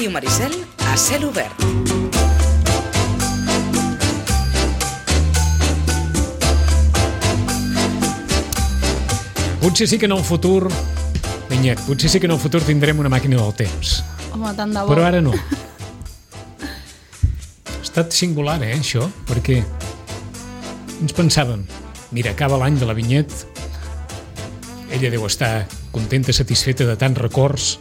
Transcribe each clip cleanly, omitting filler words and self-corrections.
Ràdio Maricel a cel obert. Potser sí que en el futur, Vinyet, potser sí que en el futur tindrem una màquina del temps. Home, tant de bo. Però ara no. Ha estat singular, això, perquè ens pensàvem, mira, acaba l'any de la Vinyet, ella deu estar contenta, satisfeta de tants records,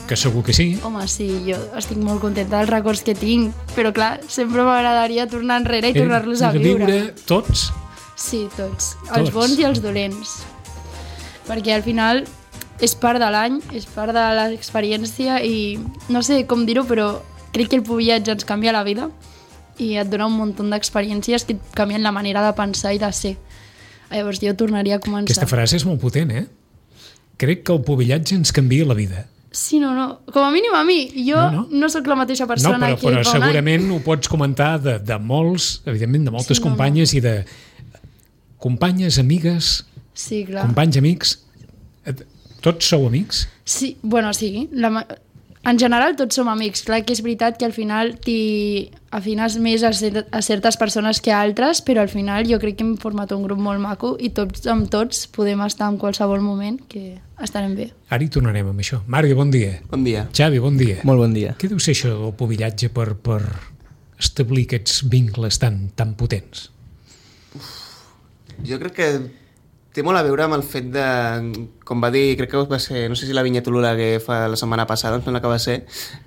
que segur que sí. Home, sí, jo estic molt contenta dels records que tinc, però clar, sempre m'agradaria tornar enrere i tornar-los a viure. Viure tots? Sí, tots. Els bons i els dolents. Perquè al final és part de l'any, és part de l'experiència i no sé com dir-ho, però crec que el viatge ens canvia la vida i et dona un munt d'experiències que et canvien la manera de pensar i de ser. Llavors jo tornaria a començar. Aquesta frase és molt potent, Crec que el pubillatge ens canvia la vida. Sí, no. Com a mínim a mi. Jo no sóc la mateixa persona que però segurament ho pots comentar de molts, evidentment, de moltes companyes i de companyes, amigues, sí, clar. Companys, amics. Tots sou amics? Sí, bueno, sí. En general tots som amics. Clar que és veritat que al final t'hi afines més a certes persones que a altres, però al final jo crec que hem format un grup molt maco i tots amb tots podem estar en qualsevol moment que estarem bé. Ara hi tornarem amb això. Mario, bon dia. Bon dia. Xavi, bon dia. Molt bon dia. Què deu ser això del pubillatge per establir aquests vincles tan potents? Jo crec que té molt a veure amb el fet de, com va dir, crec que va ser, no sé si la Vinyet Olaguer fa la setmana passada, em sembla que va ser,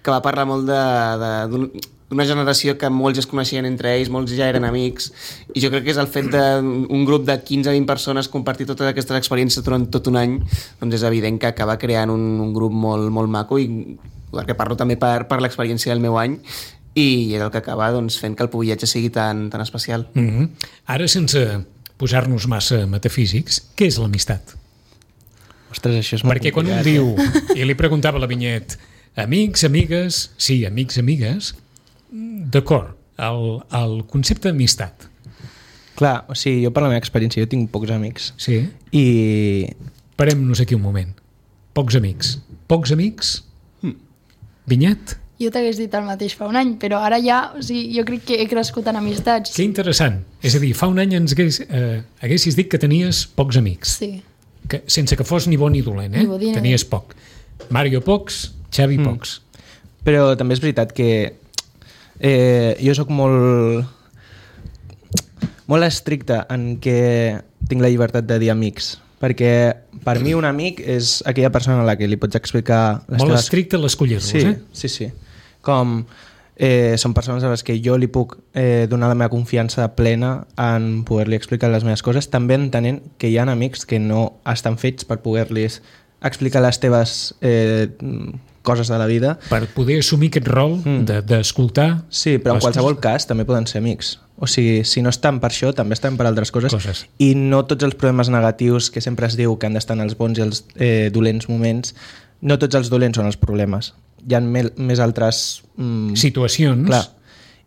que va parlar molt d'una generació que molts es coneixien entre ells, molts ja eren amics, i jo crec que és el fet d'un grup de 15-20 persones compartir totes aquestes experiències durant tot un any, doncs és evident que acaba creant un grup molt, molt maco, i perquè parlo també per l'experiència del meu any, i és el que acaba fent que el pubillatge sigui tan especial. Ara, sense posar-nos massa metafísics, què és l'amistat? Ostres, això és molt perquè quan un diu, i li preguntava a la Vinyet, amics, amigues, sí, amics, amigues, d'acord, el concepte d'amistat. Clar, o sigui, jo per la meva experiència, jo tinc pocs amics. Sí? I... Parem-nos aquí un moment. Pocs amics. Pocs amics? Vinyet? Jo t'hagués dit el mateix fa un any, però ara ja, o sigui, jo crec que he crescut en amistats. Que interessant. És a dir, fa un any haguessis dit que tenies pocs amics. Sí. Sense que fos ni bo ni dolent, Ni bo ni tenies poc. Mario pocs, Xavi pocs. Però també és veritat que jo sóc molt estricte en què tinc la llibertat de dir amics, perquè per mi un amic és aquella persona a la que li pots explicar molt estricte a l'escollir-los, Sí. Com són persones a les que jo li puc donar la meva confiança plena en poder-li explicar les meves coses, també entenent que hi ha amics que no estan fets per poder-los explicar les teves coses de la vida. Per poder assumir aquest rol d'escoltar. Sí, però en qualsevol cas també poden ser amics. O sigui, si no estan per això, també estan per altres coses. I no tots els problemes negatius que sempre es diu que han d'estar en els bons i els dolents moments, no tots els dolents són els problemes. Hi ha més altres situacions. Clar.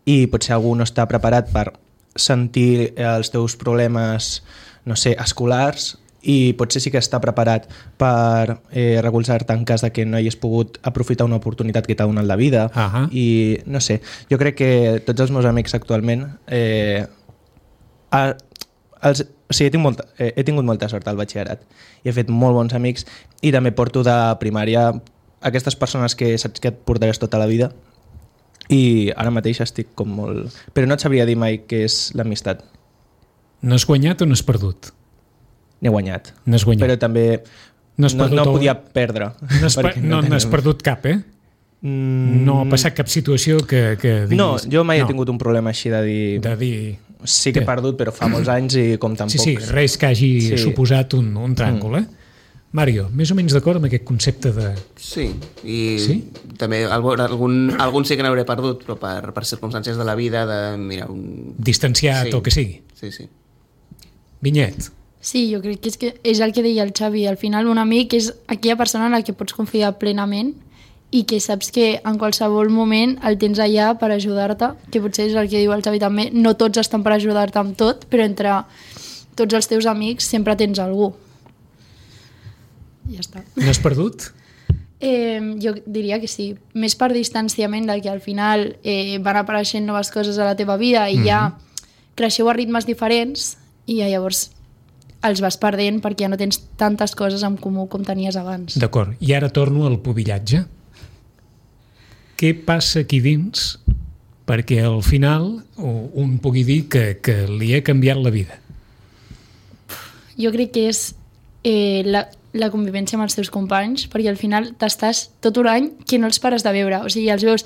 I potser algú no està preparat per sentir els teus problemes, no sé, escolars, i potser sí que està preparat per recolzar-te en cas de que no hagis pogut aprofitar una oportunitat que t'ha donat la vida. I no sé, jo crec que tots els meus amics actualment he tingut molta sort al batxillerat i he fet molt bons amics, i també porto de primària aquestes persones que saps que et portaràs tota la vida, i ara mateix estic com molt... Però no et sabria dir mai què és l'amistat. N'has guanyat o n'has perdut? N'he guanyat. N'has guanyat. Però també no podia perdre. No n'has perdut cap, No ha passat cap situació que diguis... No, jo mai he tingut un problema així de dir... Sí que he perdut, però fa molts anys i com tampoc... Sí, res que hagi suposat un tràngol, Mario, més o menys d'acord amb aquest concepte de... Sí, i també algun sí que n'hauré perdut, però per circumstàncies de la vida, distanciat o que sigui. Sí. Vinyet. Sí, jo crec que és el que deia el Xavi. Al final un amic és aquella persona en la que pots confiar plenament i que saps que en qualsevol moment el tens allà per ajudar-te, que potser és el que diu el Xavi també, no tots estan per ajudar-te amb tot, però entre tots els teus amics sempre tens algú. Ja està. N'has perdut? Jo diria que sí. Més per distanciament del que al final van apareixent noves coses a la teva vida i ja creixeu a ritmes diferents i llavors els vas perdent perquè ja no tens tantes coses en comú com tenies abans. D'acord. I ara torno al pubillatge. Què passa aquí dins perquè al final un pugui dir que li ha canviat la vida? Jo crec que és la convivència amb els teus companys, perquè al final t'estàs tot un any que no els pares de veure, o sigui, els veus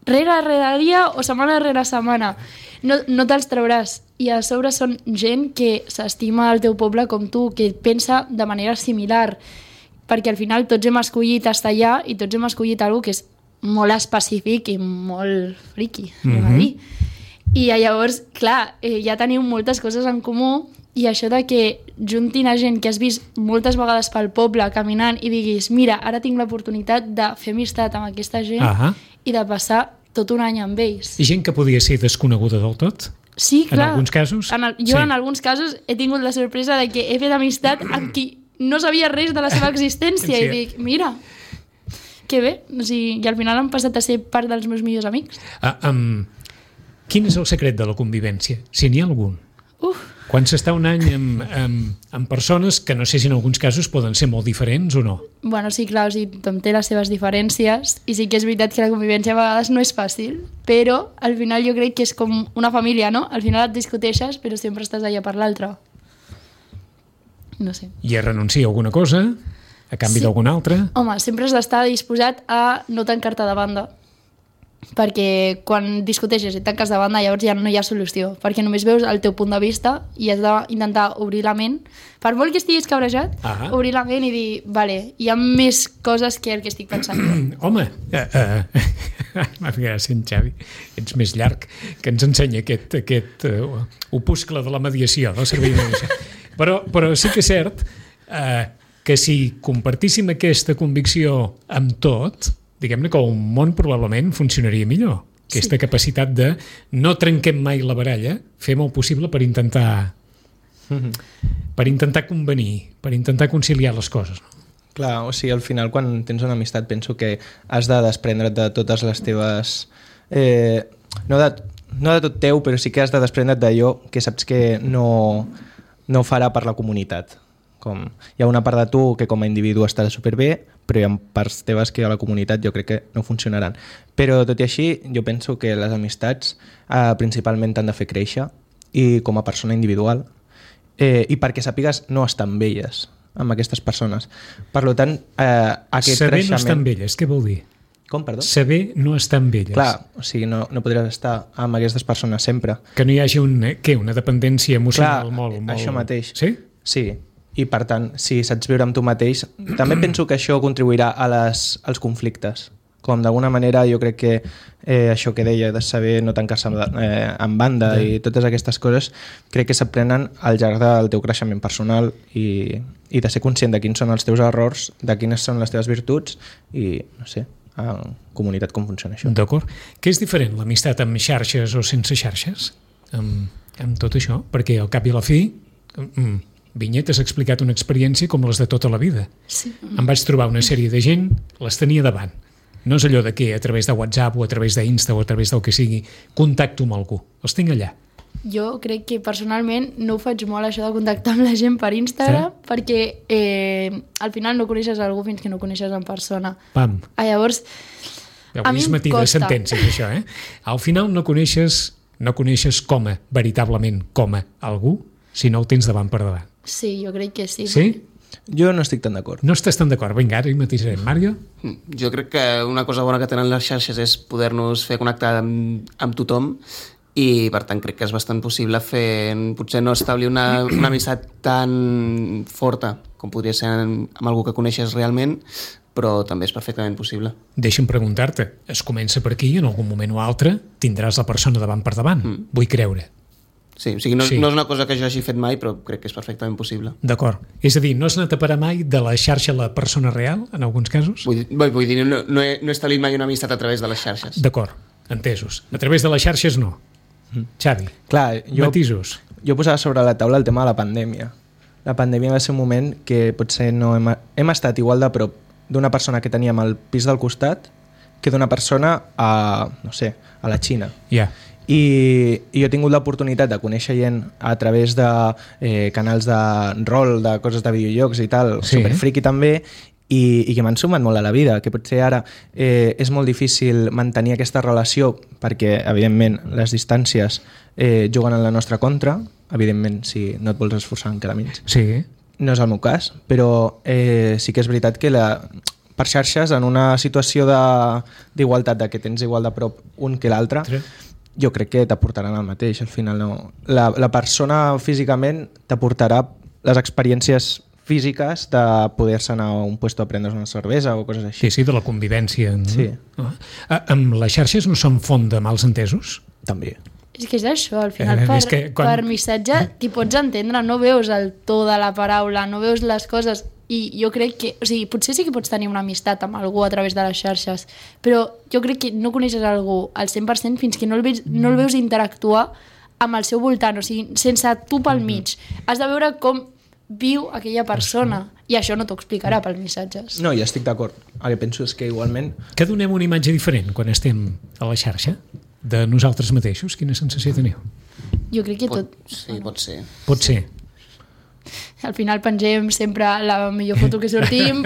rere dia o setmana rere setmana, no te'ls trauràs, i a sobre són gent que s'estima el teu poble com tu, que pensa de manera similar, perquè al final tots hem escollit estar allà i tots hem escollit alguna que és molt específic i molt friqui, i llavors, clar, ja teniu moltes coses en comú. I això de que juntin a gent que has vist moltes vegades pel poble caminant i diguis, mira, ara tinc l'oportunitat de fer amistat amb aquesta gent i de passar tot un any amb ells. I gent que podia ser desconeguda del tot? Sí, clar. En alguns casos? Jo en alguns casos he tingut la sorpresa de que he fet amistat amb qui no sabia res de la seva existència i dic, mira, que bé. O sigui, i al final han passat a ser part dels meus millors amics. Quin és el secret de la convivència? Si n'hi ha algun? Quan s'està un any amb persones que no sé si en alguns casos poden ser molt diferents o no. Bueno, sí, clar, o sigui, tothom té les seves diferències i sí que és veritat que la convivència a vegades no és fàcil, però al final jo crec que és com una família, no? Al final et discuteixes, però sempre estàs allà per l'altre. No sé. I es renuncia a alguna cosa a canvi d'alguna altra? Home, sempre has d'estar disposat a no tancar-te de banda, perquè quan discuteixes i tanques de banda llavors ja no hi ha solució, perquè només veus el teu punt de vista i has d'intentar obrir la ment, per molt que estiguis cabrejat, obrir la ment i dir, vale, hi ha més coses que el que estic pensant. Home, m'ha fet gràcia en Xavi, ets més llarg, que ens ensenya aquest opuscle de la mediació, del servei de mediació. Però sí que és cert que si compartíssim aquesta convicció amb tot, diguem-ne que un món probablement funcionaria millor. Aquesta capacitat de no trenquem mai la baralla, fem el possible per intentar convenir, per intentar conciliar les coses. Clar, o sigui, al final quan tens una amistat penso que has de desprendre't de totes les teves... no de tot teu, però sí que has de desprendre't d'allò que saps que no farà per la comunitat. Hi ha una part de tu que com a individu estarà superbé, però hi ha parts teves que a la comunitat jo crec que no funcionaran. Però tot i així, jo penso que les amistats principalment t'han de fer créixer i com a persona individual i perquè sàpigues no estar amb elles, amb aquestes persones. Per tant, aquest saber creixement... no estar amb elles, què vol dir? Com, perdó? Saber no estar amb elles. Clar, o sigui, no podràs estar amb aquestes persones sempre. Que no hi hagi una dependència emocional molt... Això mateix. Sí? Sí. I per tant, si saps viure amb tu mateix, també penso que això contribuirà als conflictes. Com d'alguna manera jo crec que això que deia de saber no tancar-se en banda i totes aquestes coses crec que s'aprenen al llarg del teu creixement personal i de ser conscient de quins són els teus errors, de quines són les teves virtuts i, no sé, en comunitat com funciona això. D'acord. Què és diferent l'amistat amb xarxes o sense xarxes? Amb tot això? Perquè al cap i a la fi... Vinyet, has explicat una experiència com les de tota la vida. Sí. Em vaig trobar una sèrie de gent, les tenia davant. No és allò de que a través de WhatsApp o a través d'Insta o a través del que sigui, contacto amb algú. Els tinc allà. Jo crec que personalment no ho faig molt això de contactar amb la gent per Instagram perquè al final no coneixes algú fins que no coneixes en persona. Pam. Llavors, a mi em matí costa. de sentències, això, Al final no coneixes veritablement com a algú si no el tens davant per davant. Sí, jo crec que sí. Sí? Jo no estic tan d'acord. No estàs tan d'acord? Vinga, ara hi matisarem. Mario? Jo crec que una cosa bona que tenen les xarxes és poder-nos fer connectar amb tothom i per tant crec que és bastant possible potser no establir una amistat tan forta com podria ser amb algú que coneixes realment, però també és perfectament possible. Deixa'm preguntar-te, es comença per aquí i en algun moment o altre tindràs la persona davant per davant. Vull creure. Sí, o sigui, no és una cosa que jo hagi fet mai, però crec que és perfectament possible. D'acord. És a dir, no has anat a parar mai de la xarxa a la persona real, en alguns casos? Vull dir, no he establit mai una amistat a través de les xarxes. D'acord, entesos. A través de les xarxes no. Xavi, clar, matisos. Jo posava sobre la taula el tema de la pandèmia. La pandèmia va ser un moment que potser no hem estat igual de prop d'una persona que teníem al pis del costat que d'una persona a, no sé, a la Xina. Ja. I jo he tingut l'oportunitat de conèixer gent a través de canals de rol, de coses de videojocs i tal, Sí. superfriqui també, i que m'han sumat molt a la vida, que potser ara és molt difícil mantenir aquesta relació perquè, evidentment, les distàncies juguen en la nostra contra, evidentment, si no et vols esforçar encara menys. Sí. No és el meu cas, però sí que és veritat que per xarxes, en una situació d'igualtat, de que tens igual de prop un que l'altre, Sí. jo crec que t'aportaran el mateix. Al final, no. La persona físicament t'aportarà les experiències físiques de poder-se anar a un puesto a prendre's una cervesa o coses així. Sí, de la convivència. No? Sí. Amb les xarxes no són font de mals entesos? També. És que és això, al final És que per missatge t'hi pots entendre, no veus el to de la paraula, no veus les coses, i jo crec que, o sigui, potser sí que pots tenir una amistat amb algú a través de les xarxes, però jo crec que no coneixes algú al 100% fins que no el veus interactuar amb el seu voltant, o sigui, sense tu pel mig. Has de veure com viu aquella persona, i això no t'ho explicarà pels missatges. No, ja estic d'acord. El que penso és que igualment... Que donem una imatge diferent quan estem a la xarxa de nosaltres mateixos? Quina sensació teniu? Jo crec que tot... Sí, pot ser. Pot ser. Al final pengem sempre la millor foto que sortim,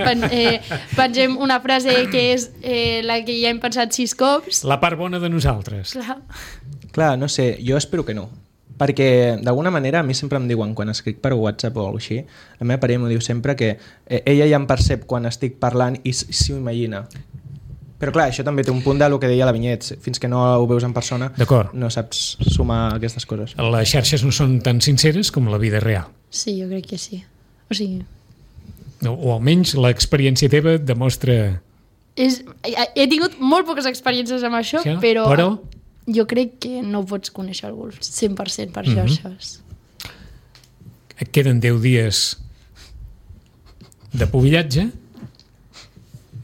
pengem una frase que és la que ja hem pensat 6 cops. La part bona de nosaltres. Clar, no sé, jo espero que no. Perquè, d'alguna manera, a mi sempre em diuen, quan escric per WhatsApp o alguna cosa així, la meva parella m'ho diu sempre que ella ja em percep quan estic parlant i s'ho imagina. Però clar, això també té un punt del que deia la Vinyet. Fins que no ho veus en persona, no saps sumar aquestes coses. Les xarxes no són tan sinceres com la vida real. Sí, jo crec que sí. O sigui... O almenys l'experiència teva demostra... He tingut molt poques experiències amb això, sí, però jo crec que no pots conèixer algú 100% per xarxes. Et queden 10 dies de pubillatge,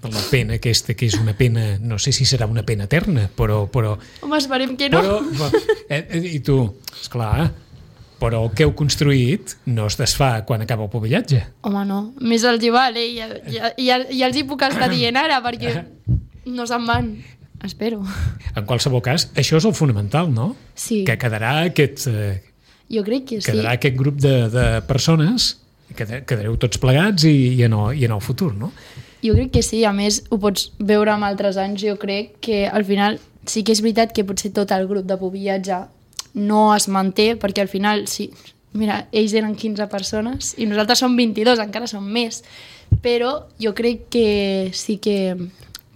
la pena aquesta, que és una pena, no sé si serà una pena eterna, però... Home, esperem que no. I tu, esclar, però el que heu construït no es desfà quan acaba el pubillatge. Home, no. Més els hi val, ja els hi puc estar dient ara, perquè no se'n van. Espero. En qualsevol cas, això és el fonamental, no? Sí. Que quedarà aquest... Jo crec que sí. Quedarà aquest grup de persones, quedareu tots plegats i en el futur, no? Jo crec que sí, a més ho pots veure amb altres anys, jo crec que al final sí que és veritat que potser tot el grup de pubillatge no es manté, perquè al final, sí, mira, ells eren 15 persones i nosaltres som 22, encara som més, però jo crec que sí que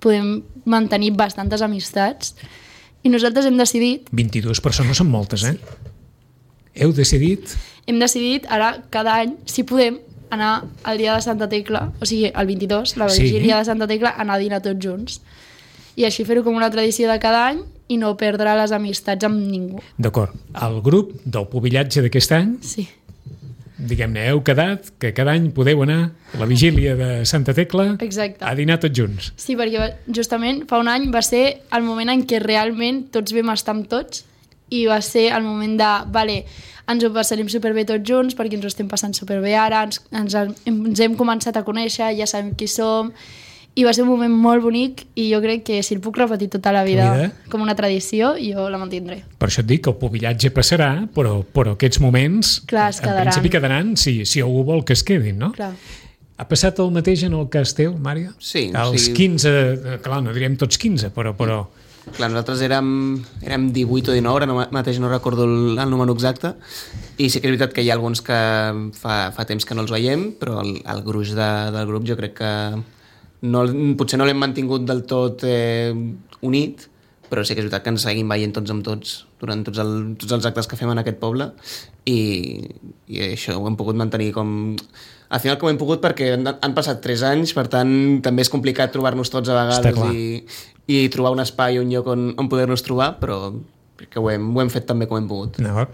podem mantenir bastantes amistats i nosaltres hem decidit... 22 persones són moltes, eh? Heu decidit... Hem decidit ara, cada any, si podem, anar al dia de Santa Tecla, o sigui, el 22, la vigília de Santa Tecla, anar a dinar tots junts. I així fer-ho com una tradició de cada any i no perdre les amistats amb ningú. D'acord. El grup del pubillatge d'aquest any, sí, diguem-ne, heu quedat que cada any podeu anar a la vigília de Santa Tecla a dinar tots junts. Sí, perquè justament fa un any va ser el moment en què realment tots vam estar amb tots i va ser el moment de, vale, ens ho passarem superbé tots junts perquè ens ho estem passant superbé ara, ens hem començat a conèixer, ja sabem qui som, i va ser un moment molt bonic i jo crec que si el puc repetir tota la vida com una tradició, jo la mantindré. Per això et dic que el pubillatge passarà, però aquests moments en principi quedaran si algú vol que es quedin, no? Clar. Ha passat el mateix en el cas teu, Mària? Sí. Els 15, clar, no diríem tots 15, però... Clar, nosaltres érem 18 o 19, ara mateix no recordo el número exacte, i sí que és veritat que hi ha alguns que fa temps que no els veiem, però el gruix del grup jo crec que potser no l'hem mantingut del tot unit, però sí que és veritat que ens seguim veient tots amb tots durant tots els actes que fem en aquest poble i això ho hem pogut mantenir com... Al final com hem pogut perquè han passat 3 anys, per tant també és complicat trobar-nos tots a vegades i trobar un espai, un lloc on poder-nos trobar, però que ho hem fet també com hem pogut. No.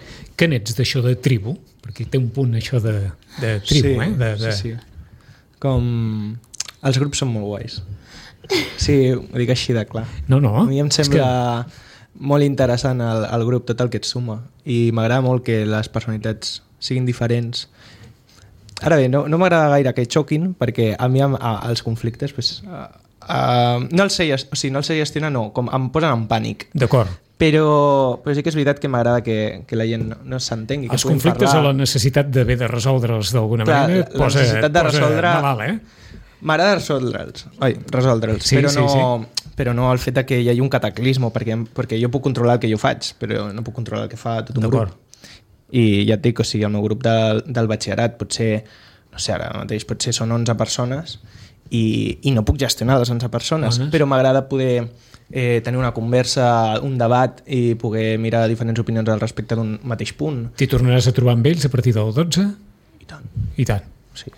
Que n'ets d'això de tribu? Perquè té un punt això de tribu, sí. Com... Els grups són molt guais. Sí, ho dic així de clar. No. A mi em sembla molt interessant el grup, tot el que et suma. I m'agrada molt que les personalitats siguin diferents Ara bé, no m'agrada gaire que xoquin, perquè a mi els conflictes pues, no els sé gestionar, no, com em posen en pànic. D'acord. Però sí que és veritat que m'agrada que la gent no s'entengui. Els conflictes o la necessitat d'haver de resoldre'ls d'alguna manera la necessitat de resoldre... malalt, M'agrada resoldre'ls, sí, però no el fet que hi hagi un cataclisme, perquè jo puc controlar el que jo faig, però no puc controlar el que fa tot un grup. I ja et dic, o sigui, el meu grup del batxillerat potser, no sé, ara mateix potser són 11 persones i no puc gestionar les 11 persones, però m'agrada poder tenir una conversa, un debat i poder mirar diferents opinions al respecte d'un mateix punt. T'hi tornaràs a trobar amb ells a partir del 12? I tant. I tant. Sí.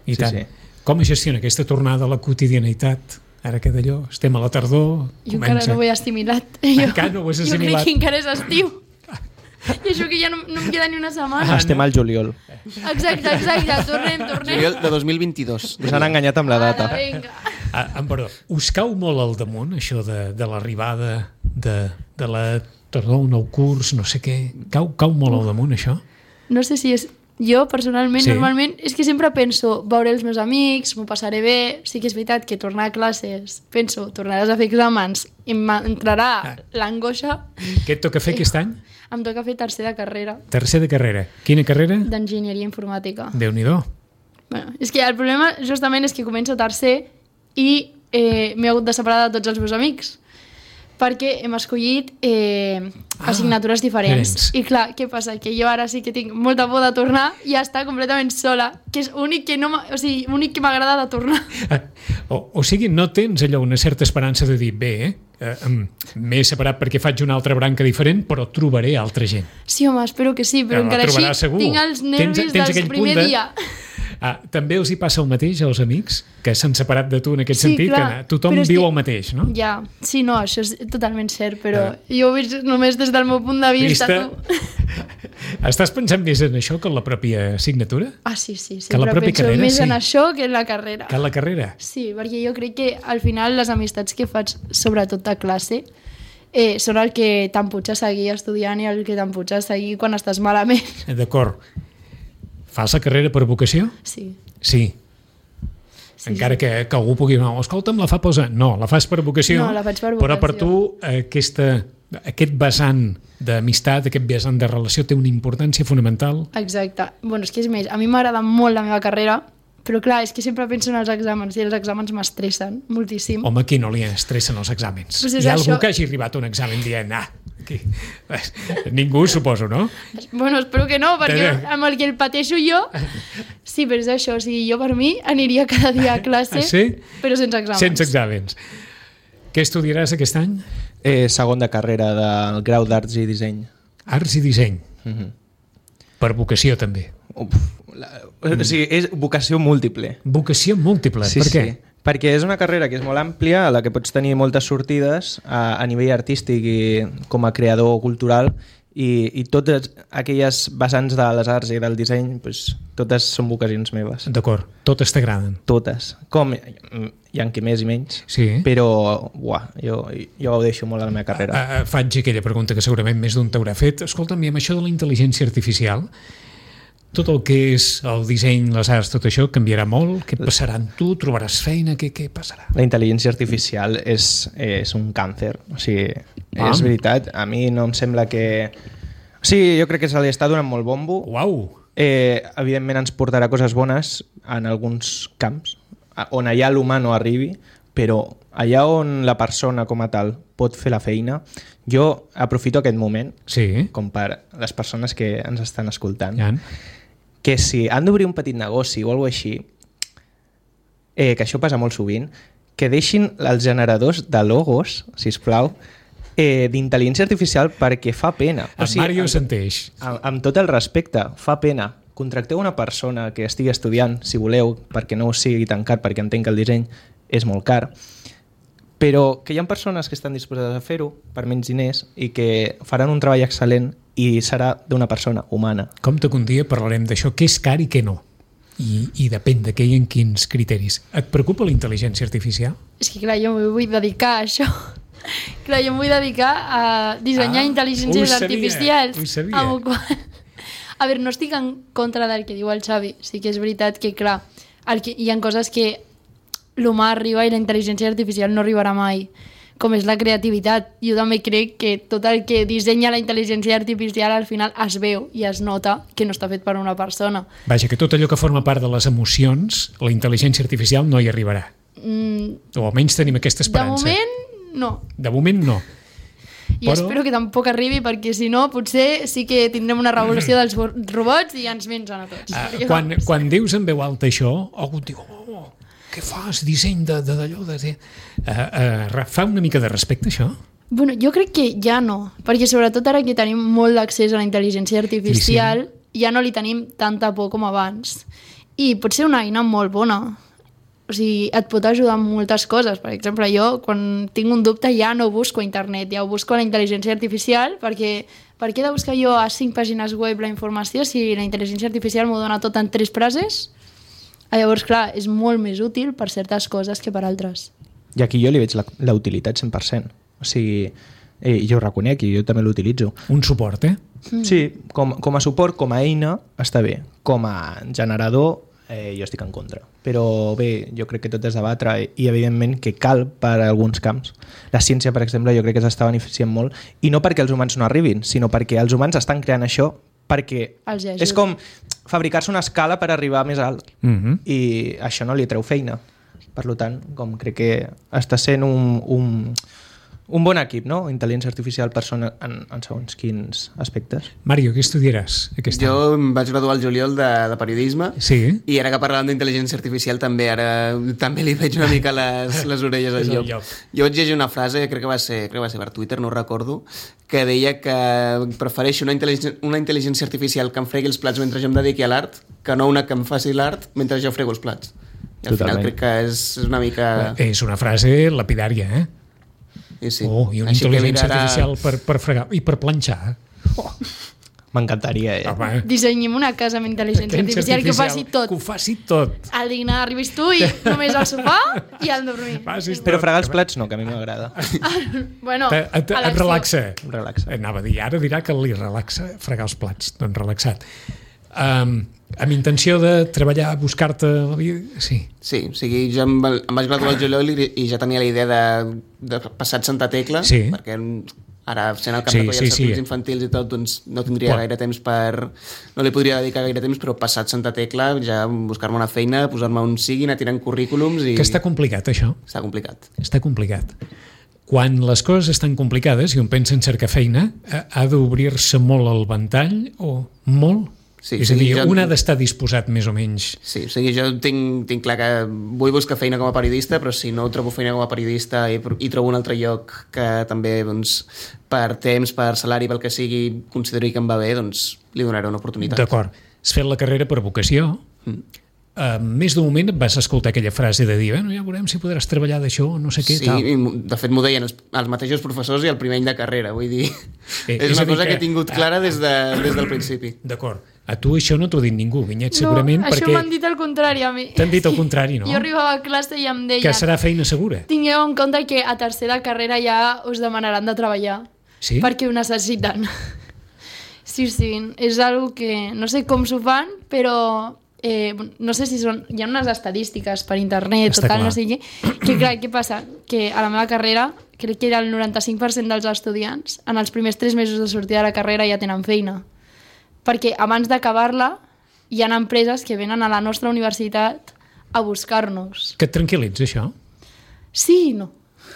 I tant. Com es gestiona aquesta tornada a la quotidianitat? Ara que d'allò, estem a la tardor... Jo encara no ho he assimilat. Encara no ho has assimilat. Jo crec que encara és estiu. I això que ja no em queda ni una setmana. Estem al juliol. Exacte, tornem. Juliol de 2022. Us han enganyat amb la data. Perdó, us cau molt al damunt, això de l'arribada de la tardor, un nou curs, no sé què? Cau molt al damunt, això? No sé si és... Jo, personalment, normalment, és que sempre penso veure els meus amics, m'ho passaré bé, sí que és veritat que tornar a classes, penso, tornaràs a fer exàmens i m'entrarà l'angoixa. Què et toca fer aquest any? Em toca fer tercer de carrera. Tercer de carrera. Quina carrera? D'enginyeria informàtica. Déu-n'hi-do. Bueno, és que el problema justament és que començo tercer i m'he hagut de separar de tots els meus amics perquè hem escollit assignatures diferents. I clar, què passa? Que jo ara sí que tinc molta por de tornar i estar completament sola, que és l'únic que que m'agrada de tornar. O sigui, no tens allò una certa esperança de dir, bé, m'he separat perquè faig una altra branca diferent, però trobaré altra gent. Sí, home, espero que sí, però encara així segur. Tinc els nervis del primer dia. També els hi passa el mateix als amics que s'han separat de tu en aquest sentit, clar, que tothom viu el mateix, no? Ja, sí, no, això és totalment cert, però jo ho veig només des del meu punt de vista. Estàs pensant més en això que en la pròpia assignatura? Sí, que la pròpia penso carrera, més en això que en la carrera. Que en la carrera? Sí, perquè jo crec que al final les amistats que faig, sobretot a classe, són el que t'empuja a seguir estudiant i el que t'empuja a seguir quan estàs malament. D'acord. Fas la carrera per vocació? Sí. Sí. Encara que algú pugui dir, escolta'm, la fa posa. No, la fas per vocació. No, la faig per vocació. Però per tu aquest vessant d'amistat, aquest vessant de relació té una importància fonamental. Exacte. Bueno, és que és més, a mi m'agrada molt la meva carrera, però clar, és que sempre penso en els exàmens i els exàmens m'estressen moltíssim. Home, qui no li estressen els exàmens? Pues hi ha algú que hagi arribat a un examen dient, aquí. Ningú, suposo, no? Bueno, espero que no, perquè amb el que el pateixo jo... Sí, però és això, o sigui, jo per mi aniria cada dia a classe, però sense exàmens. Sense exàmens. Què estudiaràs aquest any? Segon de carrera del grau d'Arts i Disseny. Arts i Disseny. Per vocació, també. O sigui, és vocació múltiple. Vocació múltiple, sí, per què? Sí. Perquè és una carrera que és molt àmplia, a la que pots tenir moltes sortides a nivell artístic i com a creador cultural, i totes aquelles vessants de les arts i del disseny, pues, totes són vocacions meves. D'acord, totes t'agraden? Totes. Com hi ha qui més i menys, però jo gaudeixo molt a la meva carrera. Faig aquella pregunta que segurament més d'un t'haurà fet. Escolta'm, i amb això de la intel·ligència artificial, tot el que és el disseny, les arts, tot això canviarà molt? Què passarà amb tu? Trobaràs feina? Què passarà? La intel·ligència artificial és un càncer. O sigui, és veritat. A mi no em sembla que... O sigui, jo crec que se li està donant molt bombo. Uau! Evidentment ens portarà coses bones en alguns camps, on allà l'humà no arribi, però allà on la persona com a tal pot fer la feina, jo aprofito aquest moment, com per les persones que ens estan escoltant, que si han d'obrir un petit negoci o alguna cosa així, que això passa molt sovint, que deixin els generadors de logos, sisplau, d'intel·ligència artificial, perquè fa pena. Mario Santeix. Amb tot el respecte, fa pena. Contracteu una persona que estigui estudiant, si voleu, perquè no us sigui tan car, perquè entenc que el disseny és molt car, però que hi ha persones que estan disposades a fer-ho per menys diners i que faran un treball excel·lent i serà d'una persona humana. Compte que un dia parlarem d'això, què és car i què no. I depèn de què i en quins criteris. Et preocupa la intel·ligència artificial? És que clar, jo m'ho vull dedicar a això. Clar, jo em vull dedicar a dissenyar intel·ligències artificials. Ho sabia. A veure, no estic en contra del que diu el Xavi. Sí que és veritat que, clar, hi ha coses que l'humà arriba i la intel·ligència artificial no arribarà mai, com és la creativitat. Jo també crec que tot el que dissenya la intel·ligència artificial al final es veu i es nota que no està fet per una persona. Vaja, que tot allò que forma part de les emocions, la intel·ligència artificial no hi arribarà. O almenys tenim aquesta esperança. De moment, no. De moment, no. I espero que tampoc arribi, perquè si no, potser sí que tindrem una revolució dels robots i ens mengen a tots. Quan dius en veu alta això, algú et diu, què fas? Disseny d'allò... Fa una mica de respecte, això? Bueno, jo crec que ja no, perquè sobretot ara que tenim molt d'accés a la intel·ligència artificial, ja no li tenim tanta por com abans. I pot ser una eina molt bona. O sigui, et pot ajudar en moltes coses. Per exemple, jo, quan tinc un dubte, ja no busco a internet, ja ho busco a la intel·ligència artificial, perquè per què he de buscar jo a 5 pàgines web la informació si la intel·ligència artificial m'ho dona tot en 3 frases? Llavors, clar, és molt més útil per certes coses que per altres. I aquí jo li veig la utilitat 100%. O sigui, jo ho reconec i jo també l'utilitzo. Un suport, eh? Sí, com a suport, com a eina, està bé. Com a generador, jo estic en contra. Però bé, jo crec que tot és debatre i evidentment que cal per a alguns camps. La ciència, per exemple, jo crec que s'està beneficiant molt, i no perquè els humans no arribin, sinó perquè els humans estan creant això perquè és com fabricar-se una escala per arribar més alt. I això no li treu feina. Per tant, com crec que està sent un bon equip, no? Intel·ligència artificial persona en segons quins aspectes. Mario, què estudiaràs aquest any? Jo em vaig graduar al juliol de periodisme, sí. I ara que parlàvem d'intel·ligència artificial també li veig una mica les orelles al llop. Jo vaig llegir una frase, crec que va ser per Twitter, no ho recordo, que deia que prefereixo una intel·ligència artificial que em fregui els plats mentre jo em dediqui a l'art que no una que em faci l'art mentre jo frego els plats. I al final crec que és una mica... És una frase lapidària, eh? Sí. I una intel·ligència artificial per fregar i per planxar. M'encantaria, Dissenyem una casa amb intel·ligència artificial que ho faci tot. Que ho faci tot. Al dinar arribis tu i només al sofà i al dormir. Però fregar els plats no, que a mi m'agrada. Bueno, et relaxa. Relaxa. Anava a dir, ara dirà que li relaxa fregar els plats. Doncs relaxat. Amb intenció de treballar, buscar-te la vida? Sí. Sí, o sigui, jo em vaig graduar al juliol i ja tenia la idea de passar Santa Tecla, perquè ara sent el cap de coll als circuits infantils i tot, doncs no tindria gaire temps no li podria dedicar gaire temps, però passat Santa Tecla ja buscar-me una feina, posar-me on sigui, anar tirant currículums i... Que està complicat, això? Està complicat. Està complicat. Quan les coses estan complicades i un pensa en cercar feina, ha d'obrir-se molt el ventall o molt? Sí, és a dir, un ha d'estar disposat més o menys. Sí, o sigui, jo tinc clar que vull buscar feina com a periodista, però si no trobo feina com a periodista i trobo un altre lloc que també, doncs, per temps, per salari, pel que sigui, consideri que em va bé, doncs li donaré una oportunitat. D'acord. Has fet la carrera per vocació. Més d'un moment vas escoltar aquella frase de dir, ja veurem si podràs treballar d'això, no sé què, tal. Sí, de fet m'ho deien els mateixos professors i el primer any de carrera, vull dir, és una cosa que he tingut clara des del principi. D'acord. A tu això no t'ho ha dit ningú, Vinyet, segurament, perquè... No, això m'han dit el contrari a mi. T'han dit el contrari, no? Jo arribava a classe i em deien... Que serà feina segura. Tingueu en compte que a tercer de carrera ja us demanaran de treballar. Sí? Perquè ho necessiten. Sí, és algo que no sé com s'ho fan, però... no sé si són... Hi ha unes estadístiques per internet o tal, no sé què. Que clar, què passa? Que a la meva carrera, crec que era el 95% dels estudiants, en els primers 3 mesos de sortida de la carrera ja tenen feina. Perquè abans d'acabar-la hi ha empreses que venen a la nostra universitat a buscar-nos. Que et tranquil·litza, això? Sí i no.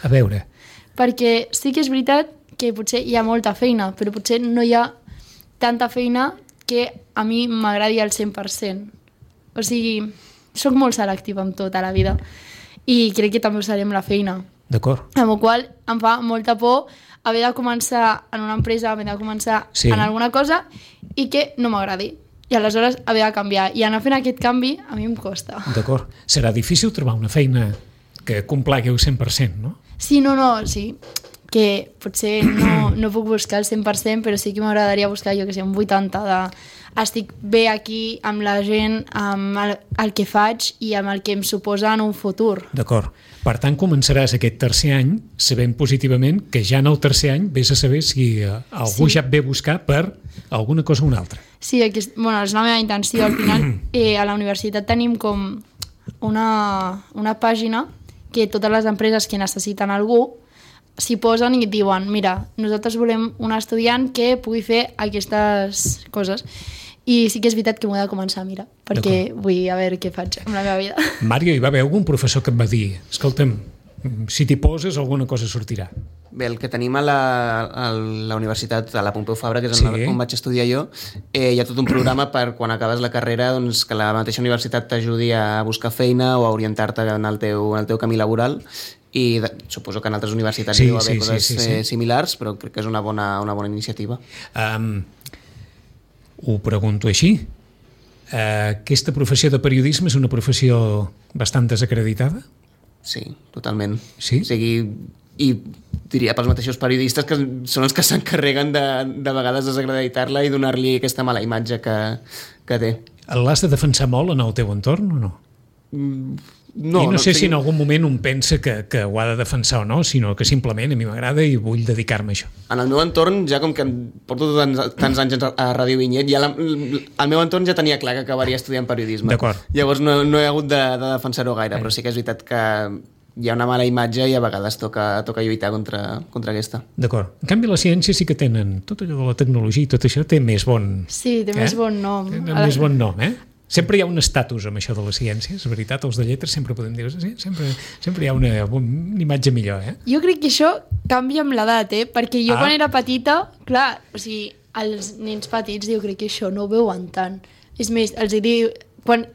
A veure. Perquè sí que és veritat que potser hi ha molta feina, però potser no hi ha tanta feina que a mi m'agradi al 100%. O sigui, sóc molt selectiva amb tot a la vida i crec que també ho seré amb la feina. D'acord. Amb la qual em fa molta por haver de començar en una empresa, haver de començar en alguna cosa i que no m'agradi. I aleshores haver de canviar. I anar fent aquest canvi a mi em costa. D'acord. Serà difícil trobar una feina que complagui el 100%, no? Sí, sí. Que potser no puc buscar el 100%, però sí que m'agradaria buscar, jo que sé, un 80% estic bé aquí amb la gent, amb el que faig i amb el que em suposa en un futur. D'acord. Per tant, començaràs aquest tercer any sabent positivament que ja en el tercer any vés a saber si algú ja et ve a buscar per alguna cosa o una altra. Sí, és la meva intenció. Al final, a la universitat tenim com una pàgina que totes les empreses que necessiten algú s'hi posen i diuen, mira, nosaltres volem un estudiant que pugui fer aquestes coses. I sí que és veritat que m'ho he de començar a mirar, perquè vull a veure què faig amb la meva vida. Mario, hi va haver algun professor que et va dir, escolta'm, si t'hi poses alguna cosa sortirà? Bé, el que tenim a la universitat, a la Pompeu Fabra, que és on vaig estudiar jo, hi ha tot un programa per quan acabes la carrera doncs, que la mateixa universitat t'ajudi a buscar feina o a orientar-te en el teu camí laboral, i suposo que en altres universitats hi deu haver coses similars, però crec que és una bona iniciativa. Ho pregunto així. Aquesta professió de periodisme és una professió bastant desacreditada? Sí, totalment. Sí? O sigui, i diria pels mateixos periodistes que són els que s'encarreguen de vegades desacreditar-la i donar-li aquesta mala imatge que té. L'has de defensar molt en el teu entorn o no? No, I no sé si en algun moment un pensa que ho ha de defensar o no, sinó que simplement a mi m'agrada i vull dedicar-me a això. En el meu entorn, ja com que porto tants anys a Ràdio Vinyet, ja el meu entorn ja tenia clar que acabaria estudiant periodisme. D'acord. Llavors no he hagut de defensar-ho gaire, però sí que és veritat que hi ha una mala imatge i a vegades toca lluitar contra aquesta. D'acord. En canvi, la ciència sí que tenen tot allò de la tecnologia i tot això té més bon... Sí, té més bon nom. Té més bon nom, Sempre hi ha un estatus amb això de les ciències, és veritat, els de lletres sempre podem dir, sí, sempre hi ha una imatge millor, Jo crec que això canvia amb l'edat, perquè jo quan era petita, clar, o sigui, els nens petits jo crec que això no ho veuen tant. És més, els diu, quan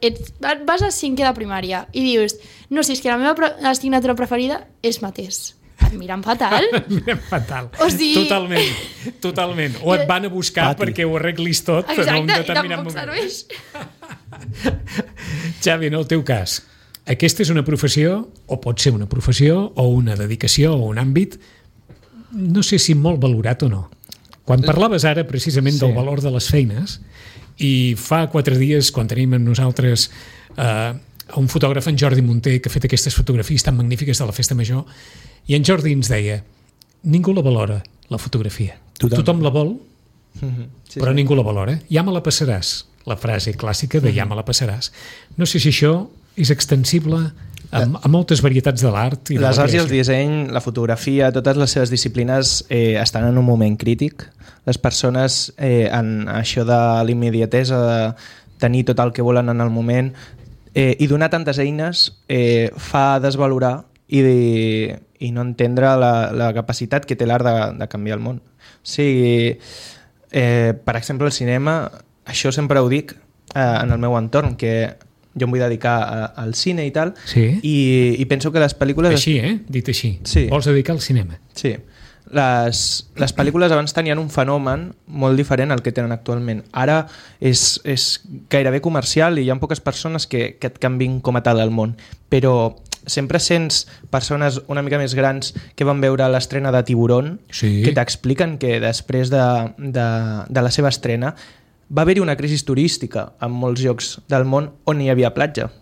vas a 5è de primària i dius, no, si és que la meva assignatura preferida és mateix. Et miren fatal. Miren fatal. O sigui... Totalment. O et van a buscar perquè ho arreglis tot en un determinat moment. Serveix. Xavi, en el teu cas, aquesta és una professió, o pot ser una professió, o una dedicació, o un àmbit, no sé si molt valorat o no. Quan parlaves ara precisament del valor de les feines, i fa 4 dies, quan tenim amb nosaltres un fotògraf, en Jordi Munter, que ha fet aquestes fotografies tan magnífiques de la Festa Major, i en Jordi ens deia, ningú la valora, la fotografia. Tothom la vol, però ningú la valora. Ja me la passaràs, la frase clàssica de ja me la passaràs. No sé si això és extensible a moltes varietats de l'art. Les arts i el disseny, la fotografia, totes les seves disciplines estan en un moment crític. Les persones, en això de l'immediatesa, de tenir tot el que volen en el moment, i donar tantes eines fa desvalorar i no entendre la capacitat que té l'art de canviar el món. O sigui, per exemple, el cinema, això sempre ho dic en el meu entorn, que jo em vull dedicar al cine i tal, i penso que les pel·lícules... Així, dit així. Sí. Vols dedicar al cinema. Sí. Les pel·lícules abans tenien un fenomen molt diferent al que tenen actualment. Ara és gairebé comercial i hi ha poques persones que et canvin com a tal el món. Però sempre sents persones una mica més grans que van veure l'estrena de Tiburón, que t'expliquen que després de la seva estrena va haver-hi una crisi turística en molts llocs del món on hi havia platja.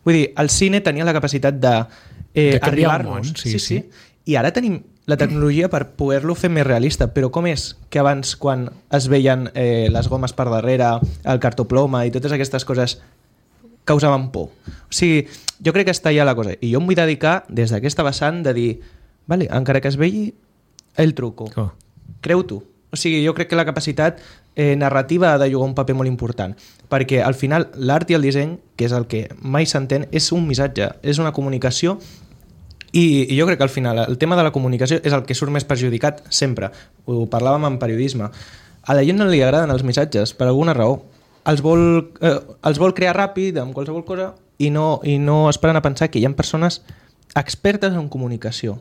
Vull dir, el cine tenia la capacitat d'arribar-nos. Sí. I ara tenim la tecnologia per poder-lo fer més realista, però com és que abans, quan es veien les gomes per darrere, el cartoploma i totes aquestes coses, causaven por? O sigui, jo crec que està allà la cosa. I jo em vull dedicar, des d'aquesta vessant, de dir, vale, encara que es vegi, el truco. Creu-t'ho. O sigui, jo crec que la capacitat narrativa ha de jugar un paper molt important, perquè al final l'art i el disseny, que és el que mai s'entén, és un missatge, és una comunicació. I jo crec que al final el tema de la comunicació és el que surt més perjudicat sempre. Ho parlàvem en periodisme. A la gent no li agraden els missatges per alguna raó. Els vol crear ràpid amb qualsevol cosa i no esperen a pensar que hi ha persones expertes en comunicació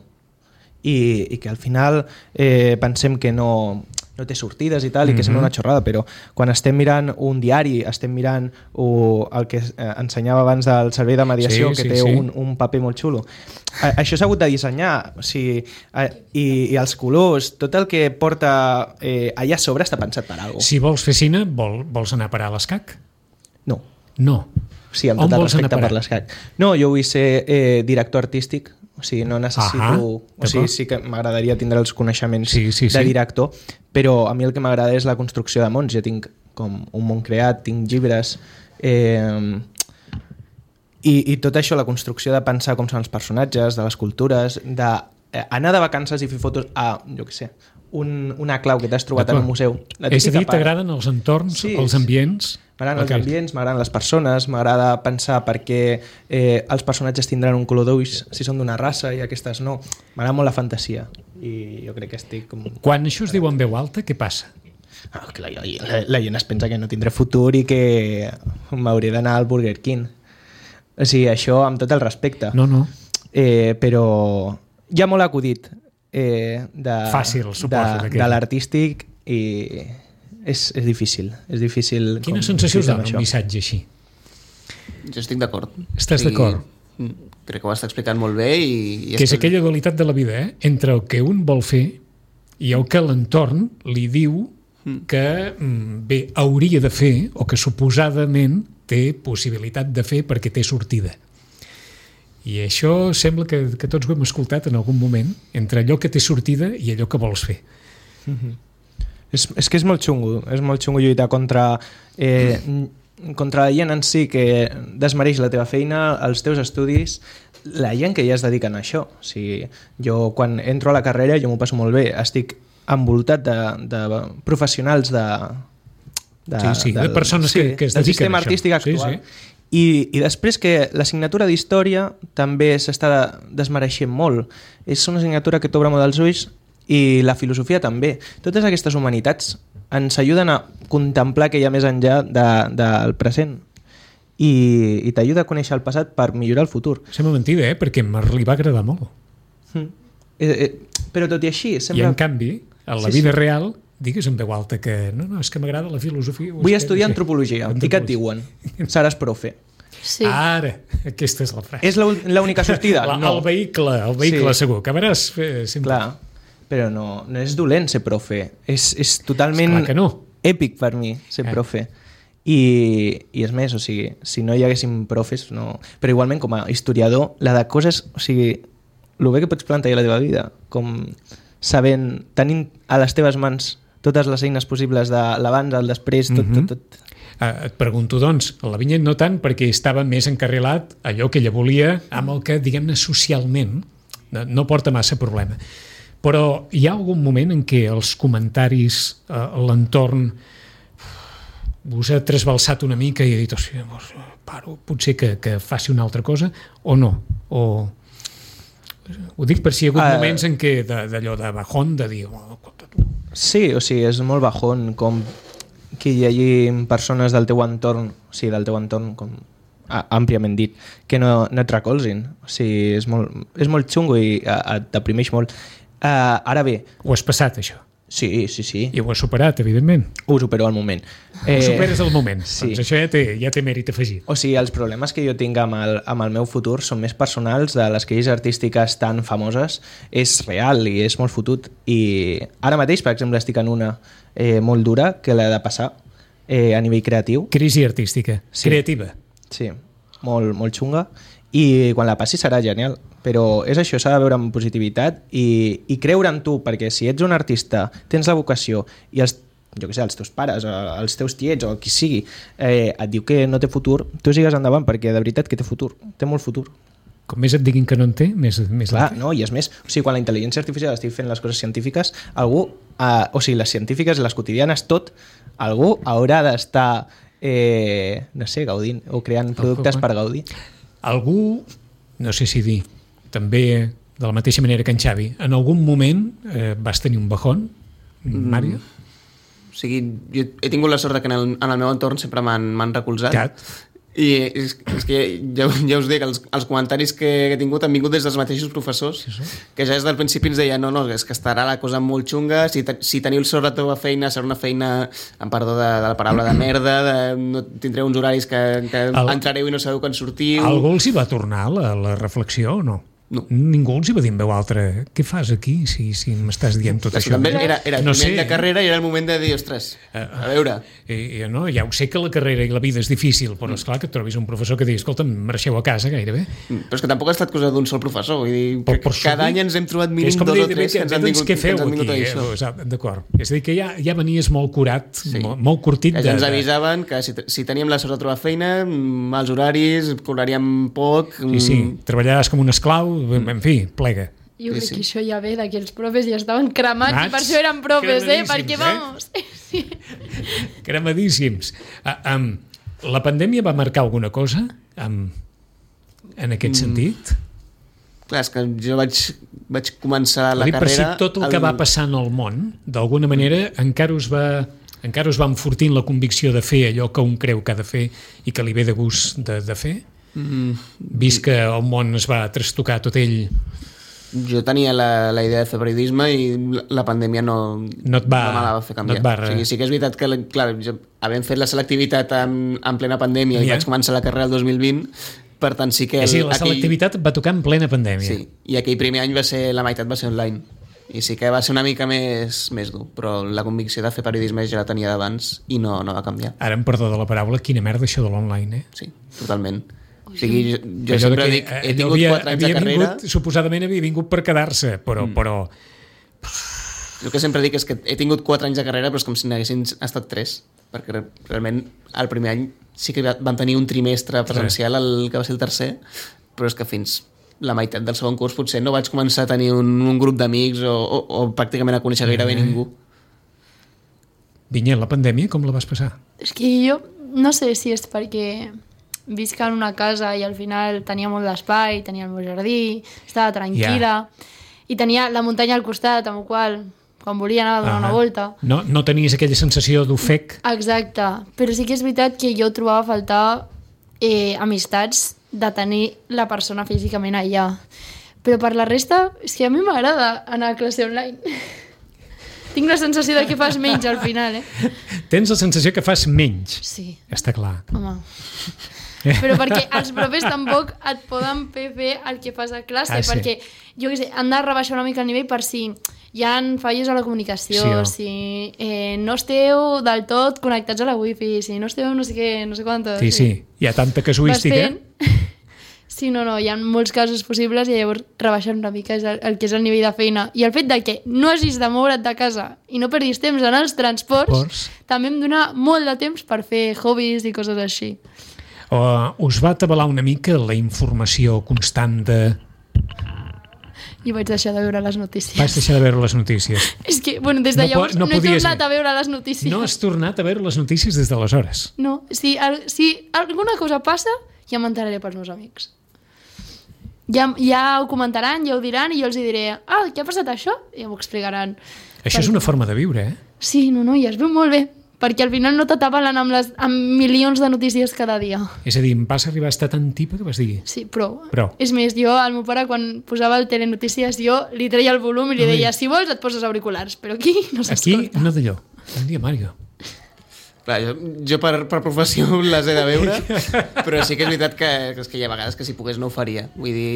i que al final pensem que no no té sortides i tal, i que sembla una xorrada, però quan estem mirant un diari, estem mirant el que ensenyava abans del servei de mediació, que té un paper molt xulo. Això s'ha hagut de dissenyar, o sigui, i els colors, tot el que porta allà a sobre està pensat per alguna cosa. Si vols fer cine, vols anar a parar a l'escac? No. No. Sí, amb tot el respecte per l'escac. No, jo vull ser director artístic, o sigui, no necessito... O sigui, sí que m'agradaria tindre els coneixements de director, però a mi el que m'agrada és la construcció de mons. Jo tinc com un món creat, tinc llibres... I tot això, la construcció de pensar com són els personatges, de les cultures, d'anar de vacances i fer fotos a, jo què sé, una clau que t'has trobat en un museu. És a dir, t'agraden els entorns, els ambients? M'agraden els ambients, m'agraden les persones, m'agrada pensar per què els personatges tindran un color d'ulls si són d'una raça i aquestes no. M'agrada molt la fantasia i jo crec que estic com... Quan això es diu en veu alta, què passa? Que la gent es pensa que no tindré futur i que m'hauré d'anar al Burger King. O sigui, això amb tot el respecte. No. Però hi ha molt acudit fàcil, suposo, de l'artístic i és difícil. És difícil. Quina sensació us dona un missatge així? Jo estic d'acord. Estàs d'acord? Crec que ho està explicant molt bé. Que és aquella dualitat de la vida, entre el que un vol fer i el que l'entorn li diu que bé, hauria de fer o que suposadament té possibilitat de fer perquè té sortida. I això sembla que tots ho hem escoltat en algun moment, entre allò que té sortida i allò que vols fer. És que és molt xungo lluitar contra la gent en si que desmereix la teva feina, els teus estudis, la gent que ja es dediquen a això. O sigui, jo quan entro a la carrera jo m'ho passo molt bé, estic envoltat de professionals de persones que es dediquen a això. Del sistema artístic actual. I després que l'assignatura d'història també s'està desmereixent molt. És una assignatura que t'obre molt els ulls i la filosofia també. Totes aquestes humanitats ens ajuden a contemplar que hi ha més enllà del present i t'ajuda a conèixer el passat per millorar el futur. Sembla mentida, perquè li va agradar molt. Però tot i així... I en canvi, a la vida real... Digues en veu alta que no, és que m'agrada la filosofia. Vull estudiar antropologia. I què et diuen? Seràs profe. Sí. Ara, aquesta és la frase. És l'única sortida? No. El vehicle segur. Acabaràs sempre. Clar, però no és dolent ser profe. És totalment èpic per mi ser profe. I és més, o sigui, si no hi haguéssim profes, no... Però igualment, com a historiador, la de coses... O sigui, el bé que pots plantejar la teva vida, com sabent, tenint a les teves mans totes les eines possibles de l'abans, el després, tot. Et pregunto, doncs, a la Vinyet no tant perquè estava més encarrilat allò que ella volia amb el que, diguem-ne, socialment no porta massa problema. Però hi ha algun moment en què els comentaris, l'entorn, us ha trasbalsat una mica i ha dit, paro, potser que faci una altra cosa, o no? Ho dic per si hi ha hagut moments en què d'allò de bajón, de dir... Sí, o sigui, és molt bajón com que hi hagi persones del teu entorn, o sigui, del teu entorn com àmpliament dit, que no et recolzin. O sigui, és molt xungo i et deprimeix molt. Ara bé... Ho has passat, això? Sí. I ho has superat, evidentment. Ho supero al moment. Ho superes al moment. Sí. Doncs això ja té mèrit afegit. O sigui, els problemes que jo tinc amb el meu futur són més personals, de les crisis artístiques tan famoses. És real i és molt fotut. I ara mateix, per exemple, estic en una molt dura que l'he de passar a nivell creatiu. Crisi artística. Sí. Creativa. Sí, molt xunga. I quan la passi serà genial. Però és això, s'ha de veure amb positivitat i creure en tu, perquè si ets un artista, tens la vocació i els teus pares, els teus tiets o qui sigui et diu que no té futur, tu sigues endavant, perquè de veritat que té futur, té molt futur. Com més et diguin que no en té, més clar, no, i és més, o sigui, quan la intel·ligència artificial estigui fent les coses científiques, algú, o sigui, les científiques i les quotidianes, algú haurà d'estar no sé, gaudint o creant productes per gaudir. Algú, no sé si dir, també de la mateixa manera que en Xavi, en algun moment vas tenir un bajón, Mària? O sigui, jo he tingut la sort que en el meu entorn sempre m'han recolzat. I és que ja us dic, els comentaris que he tingut han vingut des dels mateixos professors, que ja des del principi ens deien no, és que estarà la cosa molt xunga, si teniu sobretot a feina, serà una feina, amb perdó de la paraula, de merda, no tindreu uns horaris que entrareu i no sabeu quan sortiu. Algú els hi va tornar la reflexió o no? No. Ningú els hi va dir en veu altra què fas aquí si m'estàs dient tot això? També era el primer any de carrera i era el moment de dir, ostres, a veure... No, ja ho sé que la carrera i la vida és difícil, però esclar que et trobis un professor que digui, escolta'm, marxeu a casa gairebé. Però és que tampoc ha estat cosa d'un sol professor, vull dir, cada any ens hem trobat mínim 2 o 3 que ens han vingut a això. D'acord, és a dir que ja venies molt curat, molt curtit. Ja ens avisaven que si teníem la sort de trobar feina, mals horaris, cobraríem poc... Sí, treballaràs com un esclau, en fi, plega. Jo crec que això ja ve d'aquells profes ja estaven cremats i per això eren profes, perquè vamos... Sí. Cremadíssims. La pandèmia va marcar alguna cosa en aquest sentit? Clar, és que jo vaig començar la carrera... Per si tot el que va passar en el món, d'alguna manera, encara us va enfortint la convicció de fer allò que un creu que ha de fer i que li ve de gust de fer? Vist que el món es va trastocar tot ell... Jo tenia la idea de fer periodisme i la pandèmia no me la va fer canviar. O sigui, sí que és veritat que, clar, havent fet la selectivitat en plena pandèmia i vaig començar la carrera el 2020, per tant sí que... la selectivitat va tocar en plena pandèmia. Sí, i aquell primer any la meitat va ser online. I sí que va ser una mica més dur, però la convicció de fer periodisme ja la tenia d'abans i no va canviar. Ara, em perdó de la paraula, quina merda això de l'online, Sí, totalment. O sigui, jo sempre dic, he tingut 4 anys de carrera... Suposadament havia vingut per quedar-se, però... El que sempre dic és que he tingut 4 anys de carrera, però és com si n'haguessin estat 3, perquè realment el primer any sí que vam tenir un trimestre presencial, el que va ser el tercer, però és que fins la meitat del segon curs potser no vaig començar a tenir un grup d'amics o pràcticament a conèixer gairebé ningú. Vinyet, la pandèmia com la vas passar? És que jo no sé si és perquè visc en una casa i al final tenia molt d'espai, tenia el meu jardí, estava tranquil·la i tenia la muntanya al costat, amb el qual quan volia anava a donar una volta. No tenies aquella sensació d'ofec? Exacte, però sí que és veritat que jo trobava a faltar amistats de tenir la persona físicament allà. Però per la resta, és que a mi m'agrada anar a classe online. Tinc la sensació de que fas menys al final, Tens la sensació que fas menys? Sí. Està clar. Home... Però perquè els profes tampoc et poden fer el que fas a classe, perquè, jo què sé, han de rebaixar una mica el nivell per si hi ha fallos a la comunicació, si no esteu del tot connectats a la wifi, si no esteu no sé què, no sé quantos... Sí, hi ha tanta casuística. Sí, no, hi ha molts casos possibles i llavors rebaixen una mica el que és el nivell de feina. I el fet de que no hagis de moure't de casa i no perdis temps en els transports també em dona molt de temps per fer hobbies i coses així. Us va atabalar una mica la informació constant de... I vaig deixar de veure les notícies. Vaig deixar de veure les notícies. És que, bueno, des de llavors no he tornat a veure les notícies. No has tornat a veure les notícies des d'aleshores? No, si alguna cosa passa, ja m'enteraré pels meus amics. Ja ho comentaran, ja ho diran i jo els diré, què ha passat això? I ja m'ho explicaran. Això és una forma de viure, Sí, no, i es veu molt bé. Perquè al final no t'atabalen amb milions de notícies cada dia. És a dir, em vas arribar a estar tan tipa que vas dir... Sí, però. És més, jo, al meu pare, quan posava el telenotícies, jo li treia el volum i li deia, si vols et poses auriculars, però aquí no s'escolta. Aquí no d'allò. Bon dia, Mario. Clar, jo per professió les he de veure, però sí que és veritat que hi ha vegades que si pogués no ho faria. Vull dir...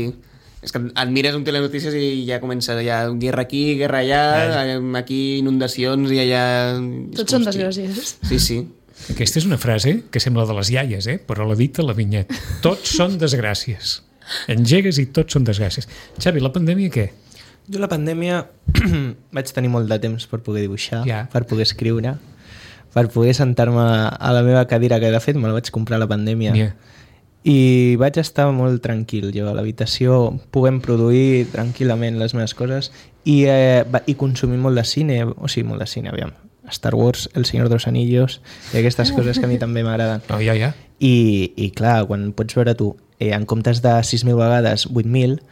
És que et mires un telenotícies i ja comença guerra aquí, guerra allà, aquí inundacions i allà... Tots són desgràcies. Sí. Aquesta és una frase que sembla de les iaies, però l'ha dit a la Vinyet. Tots són desgràcies. Engegues i tots són desgràcies. Xavi, la pandèmia què? Jo la pandèmia vaig tenir molt de temps per poder dibuixar, per poder escriure, per poder sentar-me a la meva cadira, que de fet me la vaig comprar a la pandèmia. I vaig estar molt tranquil jo a l'habitació, podent produir tranquil·lament les meves coses i consumir molt de cine, molt de cine, aviam, Star Wars, El Señor de los Anillos i aquestes coses que a mi també m'agraden. I clar, quan pots veure tu en comptes de 6.000 vegades 8.000,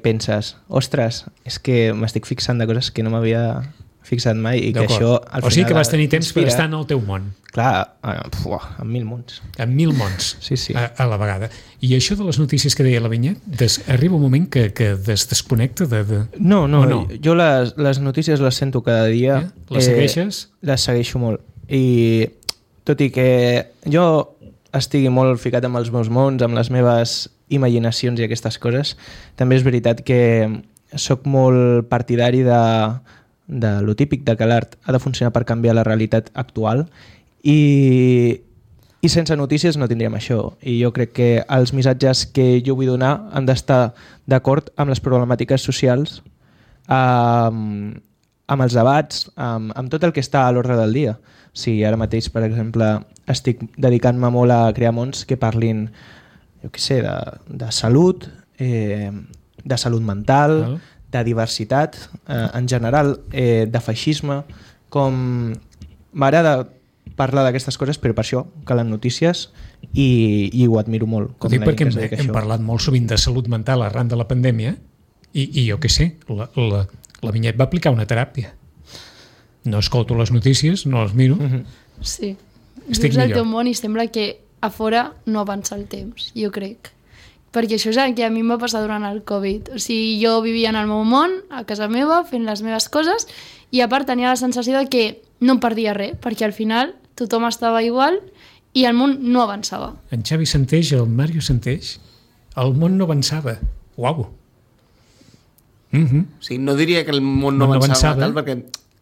penses, ostres, és que m'estic fixant de coses que no m'havia fixat mai i que D'acord. això al final... O sigui que vas tenir temps per inspira. estar en el teu món, Clar, en 1000 mons. en 1000 mons Sí, sí. a la vegada. I això de les notícies que deia la Vinyet, arriba un moment que desconnecta de... No, o no? jo les notícies les sento cada dia. Les segueixes? Les segueixo molt. I tot i que jo estigui molt ficat amb els meus mons, amb les meves imaginacions i aquestes coses, també és veritat que sóc molt partidari de lo típic, de que l'art ha de funcionar per canviar la realitat actual i sense notícies no tindríem això. I jo crec que els missatges que jo vull donar han d'estar d'acord amb les problemàtiques socials, amb els debats, amb tot el que està a l'ordre del dia. Si ara mateix, per exemple, estic dedicant-me molt a crear mons que parlin, jo què sé, de salut, de salut mental, de diversitat, en general, de feixisme, com m'agrada parlar d'aquestes coses, però per això calen notícies i ho admiro molt. Ho dic perquè hem parlat molt sovint de salut mental arran de la pandèmia i jo què sé, la Vinyet va aplicar una teràpia. No escolto les notícies, no les miro. Sí. Estic Vius el millor. teu món i sembla que a fora no avança el temps, jo crec. Perquè això és el que a mi em va passar durant el Covid. O sigui, jo vivia en el meu món, a casa meva, fent les meves coses, i a part tenia la sensació de que no em perdia res, perquè al final tothom estava igual i el món no avançava. En Xavi Santeix, el Mario Santeix, el món no avançava. Uau! O sigui, no diria que el món no avançava tal, perquè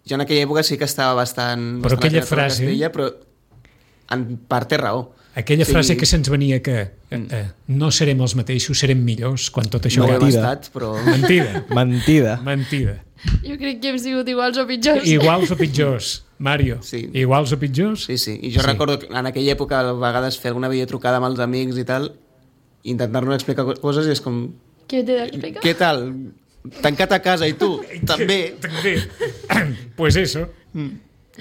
jo en aquella època sí que estava bastant... Però aquella bastant frase... Castella, però en part té raó. Aquella frase que se'ns venia que no serem els mateixos, serem millors quan tot això No ho hem acabi. estat, però... Mentida. Mentida. Jo crec que hem sigut iguals o pitjors. Iguals o pitjors, Mario. Sí. Iguals o pitjors? Sí, sí. I jo recordo que en aquella època a vegades fer alguna videotrucada amb els amics i tal, intentar-nos explicar coses i és com... Què t'he d'explicar? Què tal? Tancat a casa i tu? També. També. Pues eso.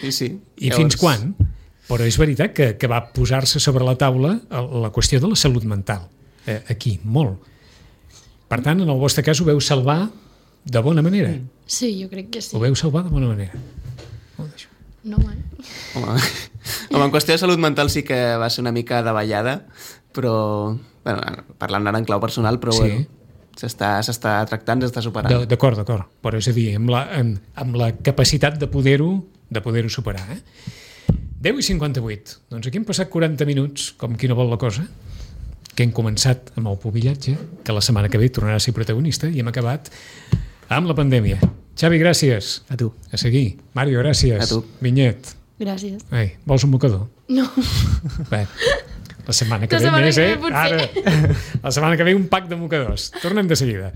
Sí, sí. I fins quan? Però és veritat que va posar-se sobre la taula la qüestió de la salut mental. Aquí, molt. Per tant, en el vostre cas ho veu salvar de bona manera. Sí, jo crec que sí. Ho veu salvar de bona manera. No, man. Home, en qüestió de salut mental sí que va ser una mica davallada, però, bueno, parlant ara en clau personal, però Sí. bueno, s'està tractant, s'està superant. D'acord. Però és a dir, amb la capacitat de poder-ho superar. 10:58. Doncs aquí hem passat 40 minuts, com qui no vol la cosa, que hem començat amb el pubillatge, que la setmana que ve tornarà a ser protagonista, i hem acabat amb la pandèmia. Xavi, gràcies. A tu. A seguir. Mario, gràcies. A tu. Vinyet. Gràcies. Ei, vols un mocador? No. Bé, la setmana que La ve setmana més, que ve, potser. Ara. La setmana que ve un pack de mocadors. Tornem de seguida.